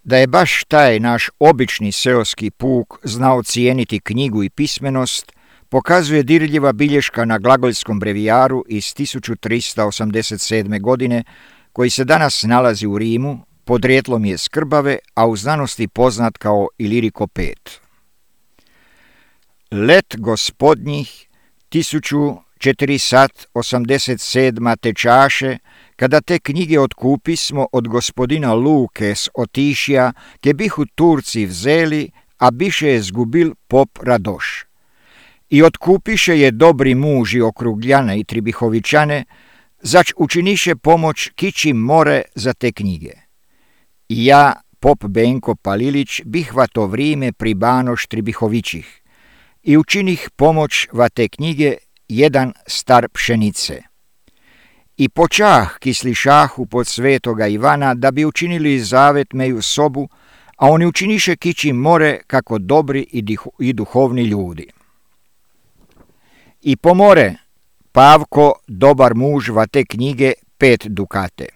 Da je baš taj naš obični seoski puk znao cijeniti knjigu i pismenost, pokazuje dirljiva bilješka na glagoljskom brevijaru iz 1387. godine, koji se danas nalazi u Rimu, podrijetlom je Skrbave, a u znanosti poznat kao Ilirikopet. Let gospodnjih 1487. tečaše, kada te knjige otkupismo od gospodina Luke s Otišija, ke bihu Turci vzeli, a biše je zgubil pop Radoš. I otkupiše je dobri muži Okrugljane i Tribihovićane, zač učiniše pomoć kići more za te knjige. I ja, pop Benko Palilić, bih va to vrime pribanoš Tribihovićih i učinih pomoć va te knjige jedan star pšenice. I počah ki slišahu pod svetoga Ivana da bi učinili zavet meju sobu, a oni učiniše kići more kako dobri i duhovni ljudi. I pomore Pavko, dobar muž va te knjige 5 dukate.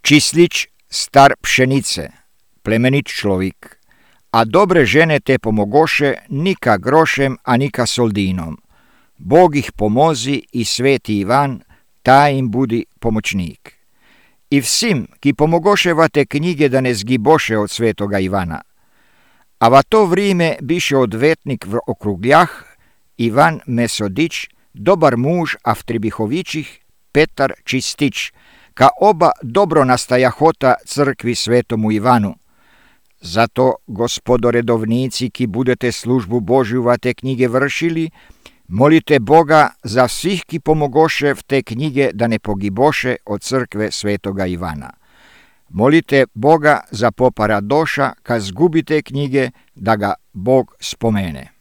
Čislić, star pšenice, plemenit človik, a dobre žene te pomogoše nika grošem, a nika soldinom. Bog ih pomozi i sveti Ivan, taj im budi pomoćnik. I vsim, ki pomogoše va te knjige da ne zgiboše od svetoga Ivana. A va to vrime biše odvetnik v Okrugljah, Ivan Mesodić, dobar muž, a v Tribihovićih Petar Čistić, ka oba dobro nastajahota crkvi svetomu Ivanu. Zato, gospodo redovnici, ki budete službu Božju va te knjige vršili, molite Boga za svih ki pomogoše v te knjige da ne pogiboše od crkve svetoga Ivana. Molite Boga za popa Radoša, ka zgubite knjige, da ga Bog spomene.